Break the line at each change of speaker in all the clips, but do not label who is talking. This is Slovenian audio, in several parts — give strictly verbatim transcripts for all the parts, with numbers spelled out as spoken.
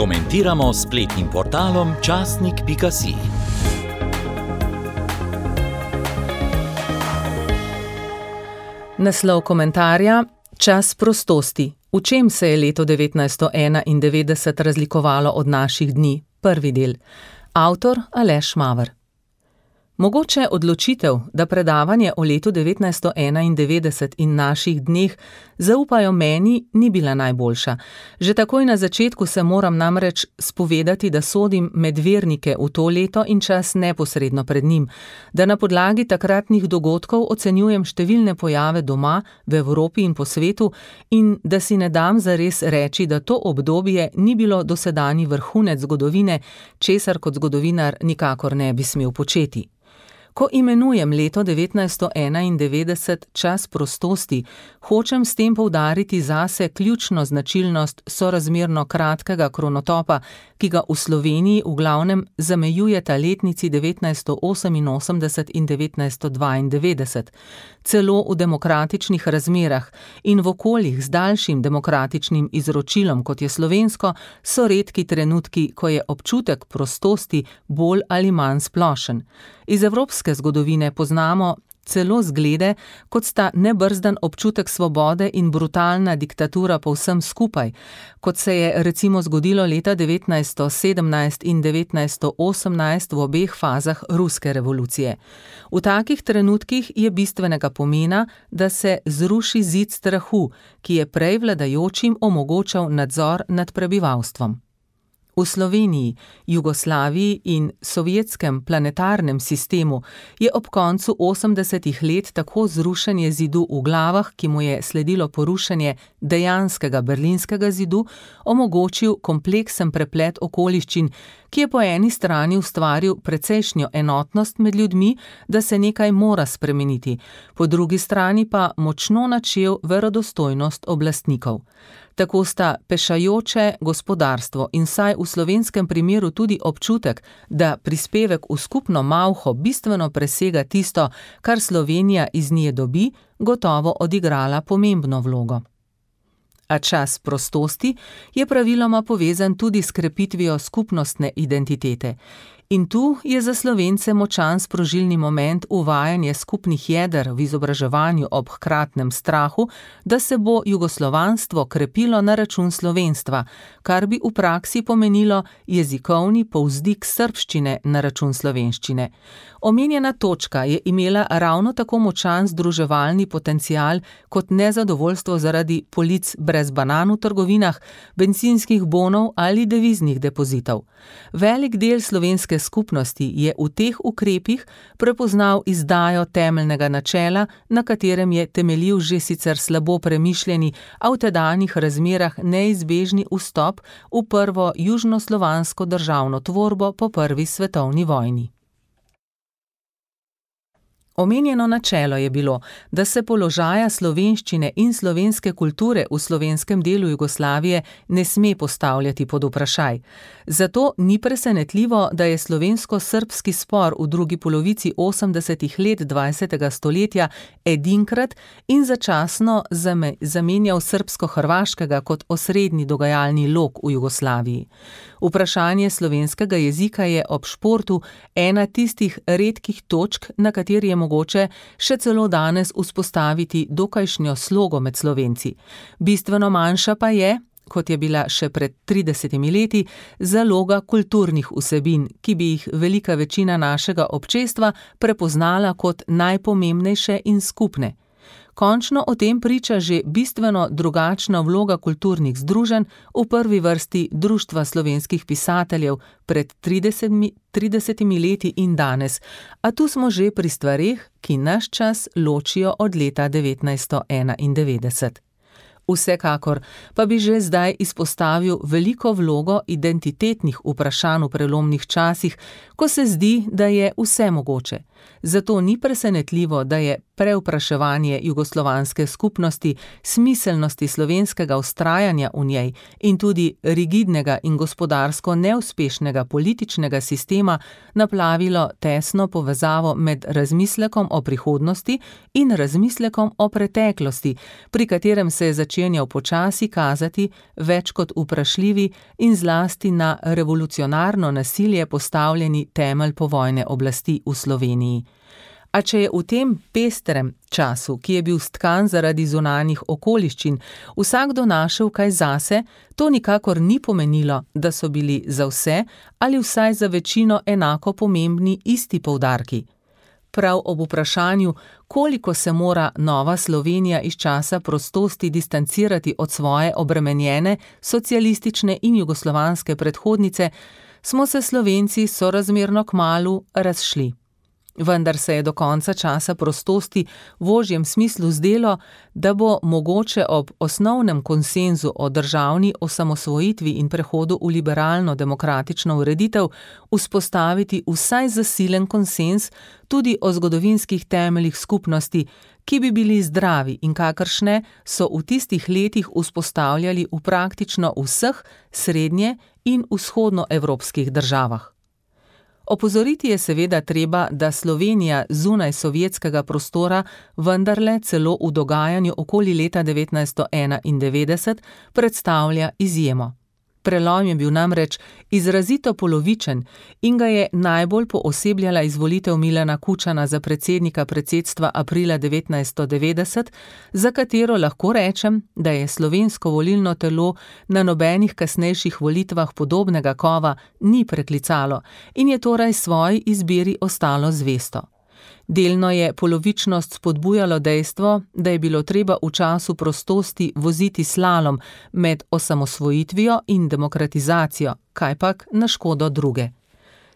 Komentiramo s spletnim portalom časnik pika si.
Naslov komentarja: Čas prostosti. V čem se je leto devetnajststo enaindevetdeset razlikovalo od naših dni? Prvi del. Avtor Aleš Maver. Mogoče odločitev, da predavanje o letu devetnajststo enaindevetdeset in naših dneh zaupajo meni, ni bila najboljša. Že takoj na začetku se moram namreč spovedati, da sodim med vernike v to leto in čas neposredno pred njim, da na podlagi takratnih dogodkov ocenjujem številne pojave doma, v Evropi in po svetu in da si ne dam zares reči, da to obdobje ni bilo dosedanji vrhunec zgodovine, česar kot zgodovinar nikakor ne bi smel početi. Ko imenujem leto devetnajststo enaindevetdeset čas prostosti, hočem s tem poudariti zase ključno značilnost sorazmerno kratkega kronotopa, ki ga v Sloveniji v glavnem zamejujeta letnici devetnajststo oseminosemdeset in devetnajststo dvaindevetdeset. Celo v demokratičnih razmerah in v okoljih z daljšim demokratičnim izročilom, kot je slovensko, so redki trenutki, ko je občutek prostosti bolj ali manj splošen. Iz evropske zgodovine poznamo celo zglede, kot sta nebrzdan občutek svobode in brutalna diktatura povsem skupaj, kot se je recimo zgodilo leta devetnajststo sedemnajst in devetnajststo osemnajst v obeh fazah ruske revolucije. V takih trenutkih je bistvenega pomena, da se zruši zid strahu, ki je prej vladajočim omogočal nadzor nad prebivalstvom. V Sloveniji, Jugoslaviji in sovjetskem planetarnem sistemu je ob koncu osemdesetih let tako zrušenje zidu v glavah, ki mu je sledilo porušenje dejanskega berlinskega zidu, omogočil kompleksen preplet okoliščin, ki je po eni strani ustvaril precejšnjo enotnost med ljudmi, da se nekaj mora spremeniti, po drugi strani pa močno načel verodostojnost oblastnikov. Tako sta pešajoče gospodarstvo in saj v slovenskem primeru tudi občutek, da prispevek v skupno malho bistveno presega tisto, kar Slovenija iz nje dobi, gotovo odigrala pomembno vlogo. A čas prostosti je praviloma povezan tudi s krepitvijo skupnostne identitete. In tu je za Slovence močan sprožilni moment uvajanje skupnih jeder v izobraževanju ob hkratnem strahu, da se bo jugoslovanstvo krepilo na račun slovenstva, kar bi v praksi pomenilo jezikovni povzdik srbščine na račun slovenščine. Omenjena točka je imela ravno tako močan združevalni potencial kot nezadovoljstvo zaradi polic brez banan v trgovinah, bencinskih bonov ali deviznih depozitov. Velik del slovenske skupnosti je v teh ukrepih prepoznal izdajo temeljnega načela, na katerem je temeljil že sicer slabo premišljeni, a v tedanjih razmerah neizbežni vstop v prvo južnoslovansko državno tvorbo po prvi svetovni vojni. Omenjeno načelo je bilo, da se položaja slovenščine in slovenske kulture v slovenskem delu Jugoslavije ne sme postavljati pod vprašaj. Zato ni presenetljivo, da je slovensko-srbski spor v drugi polovici osemdesetih let dvajsetega stoletja edinkrat in začasno zamenjal srbsko-hrvaškega kot osrednji dogajalni lok v Jugoslaviji. Vprašanje slovenskega jezika je ob športu ena tistih redkih točk, na kateri je mogoče še celo danes vzpostaviti dokajšnjo slogo med Slovenci. Bistveno manjša pa je, kot je bila še pred tridesetimi leti, zaloga kulturnih vsebin, ki bi jih velika večina našega občestva prepoznala kot najpomembnejše in skupne. Končno o tem priča že bistveno drugačna vloga kulturnih združenj, v prvi vrsti Društva slovenskih pisateljev pred tridesetimi leti in danes, a tu smo že pri stvareh, ki naš čas ločijo od leta devetnajststo enaindevetdeset. Vsekakor pa bi že zdaj izpostavil veliko vlogo identitetnih vprašanj v prelomnih časih, ko se zdi, da je vse mogoče. Zato ni presenetljivo, da je prevpraševanje jugoslovanske skupnosti, smiselnosti slovenskega vztrajanja v njej in tudi rigidnega in gospodarsko neuspešnega političnega sistema naplavilo tesno povezavo med razmislekom o prihodnosti in razmislekom o preteklosti, pri katerem se je začenjal počasi kazati več kot vprašljivi in zlasti na revolucionarno nasilje postavljeni temelj povojne oblasti v Sloveniji. A če je v tem pestrem času, ki je bil stkan zaradi zunanjih okoliščin, vsakdo našel kaj zase, to nikakor ni pomenilo, da so bili za vse ali vsaj za večino enako pomembni isti poudarki. Prav ob vprašanju, koliko se mora nova Slovenija iz časa prostosti distancirati od svoje obremenjene, socialistične in jugoslovanske predhodnice, smo se Slovenci sorazmerno kmalu razšli. Vendar se je do konca časa prostosti v ožjem smislu zdelo, da bo mogoče ob osnovnem konsenzu o državni osamosvojitvi in prehodu v liberalno-demokratično ureditev vzpostaviti vsaj zasilen konsenz tudi o zgodovinskih temeljih skupnosti, ki bi bili zdravi in kakršne so v tistih letih vzpostavljali v praktično vseh srednje- in vzhodnoevropskih državah. Opozoriti je seveda treba, da Slovenija zunaj sovjetskega prostora vendarle celo v dogajanju okoli leta devetnajststo enaindevetdeset predstavlja izjemo. Prelom je bil namreč izrazito polovičen in ga je najbolj poosebljala izvolitev Milana Kučana za predsednika predsedstva aprila devetnajststo devetdeset, za katero lahko rečem, da je slovensko volilno telo na nobenih kasnejših volitvah podobnega kova ni preklicalo in je torej svoji izbiri ostalo zvesto. Delno je polovičnost spodbujalo dejstvo, da je bilo treba v času prostosti voziti slalom med osamosvojitvijo in demokratizacijo, kajpak na škodo druge.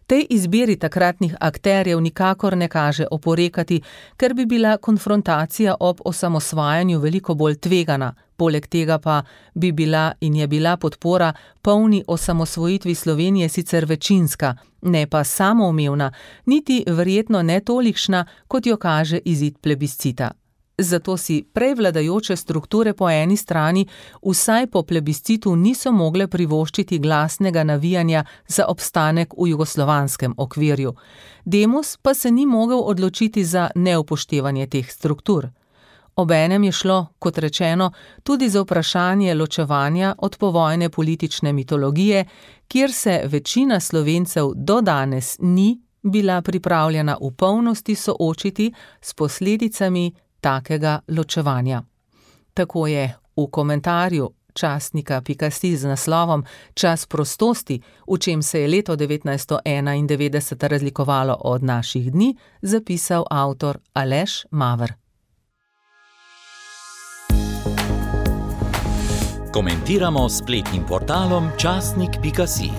Tej izbiri takratnih akterjev nikakor ne kaže oporekati, ker bi bila konfrontacija ob osamosvajanju veliko bolj tvegana, poleg tega pa bi bila in je bila podpora polni osamosvojitvi Slovenije sicer večinska, ne pa samoumevna, niti verjetno ne tolikšna, kot jo kaže izid plebiscita. Zato si prevladajoče strukture po eni strani vsaj po plebiscitu niso mogle privoščiti glasnega navijanja za obstanek v jugoslovanskem okvirju. Demos pa se ni mogel odločiti za neupoštevanje teh struktur. Obenem je šlo, kot rečeno, tudi za vprašanje ločevanja od povojne politične mitologije, kjer se večina Slovencev do danes ni bila pripravljena v polnosti soočiti s posledicami takega ločevanja. Tako je v komentarju časnika pika si z naslovom Čas prostosti, v čem se je leto devetnajststo enaindevetdeset razlikovalo od naših dni, zapisal avtor Aleš Maver.
Komentiramo s spletnim portalom časnik pika si.